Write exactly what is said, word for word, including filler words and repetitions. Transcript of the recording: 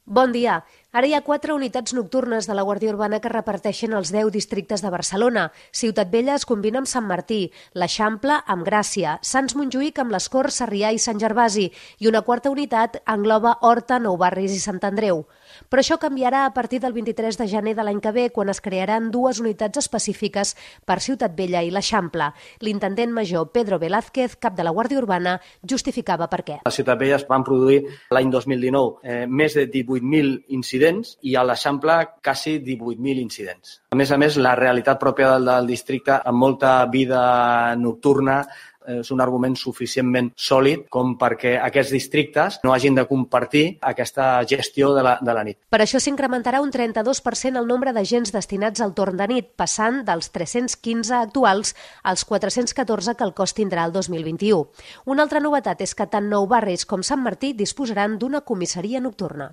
Bon dia. Ara hi ha quatre unitats nocturnes de la Guàrdia Urbana que reparteixen els deu districtes de Barcelona. Ciutat Vella es combina amb Sant Martí, l'Eixample amb Gràcia, Sants Montjuïc amb les Corts, Sarrià i Sant Gervasi i una quarta unitat engloba Horta, Nou Barris i Sant Andreu. Però això canviarà a partir del vint-i-tres de gener de l'any que ve, quan es crearan dues unitats específiques per Ciutat Vella i l'Eixample. L'intendent major Pedro Velázquez, cap de la Guàrdia Urbana, justificava per què. A Ciutat Vella es van produir l'any dos mil dinou eh, més de divuit mil incidents i a l'Eixample quasi divuit mil incidents. A més a més, la realitat pròpia del, del districte, amb molta vida nocturna, és un argument suficientment sòlid com perquè aquests districtes no hagin de compartir aquesta gestió de la, de la nit. Per això s'incrementarà un trenta-dos per cent el nombre d'agents destinats al torn de nit, passant dels tres-cents quinze actuals als quatre-cents catorze que el cos tindrà el dos mil vint-i-u. Una altra novetat és que tant Nou Barris com Sant Martí disposaran d'una comissaria nocturna.